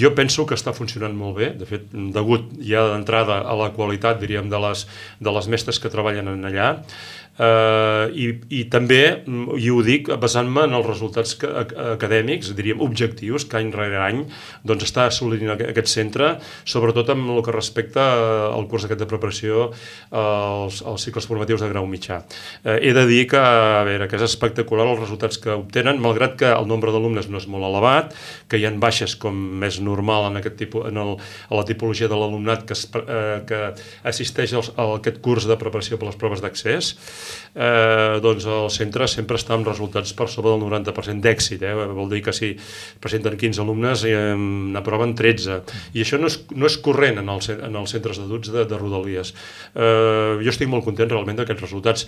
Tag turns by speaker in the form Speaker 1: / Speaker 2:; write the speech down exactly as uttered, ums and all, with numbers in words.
Speaker 1: jo penso que està funcionant molt bé, de fet, degut ja d'entrada a la qualitat, diríem, de les, de les mestres que treballen en allà, Uh, i, i també, i ho dic basant-me en els resultats que, acadèmics, diríem objectius, que any rere any doncs, està assolint aquest centre, sobretot amb el que respecta al curs aquest de preparació als, als cicles formatius de grau mitjà. Uh, he de dir que, a veure, que és espectacular els resultats que obtenen, malgrat que el nombre d'alumnes no és molt elevat, que hi ha baixes com és normal en, aquest tipus, en el, a la tipologia de l'alumnat que, es, uh, que assisteix als, a aquest curs de preparació per les proves d'accés. Eh, doncs el centre sempre està amb resultats per sobre del noranta per cent d'èxit, eh? Vol dir que si presenten quinze alumnes eh, n'aproven tretze, i això no és, no és corrent en, el, en els centres d'adults de, de Rodalies. Eh, jo estic molt content realment d'aquests resultats.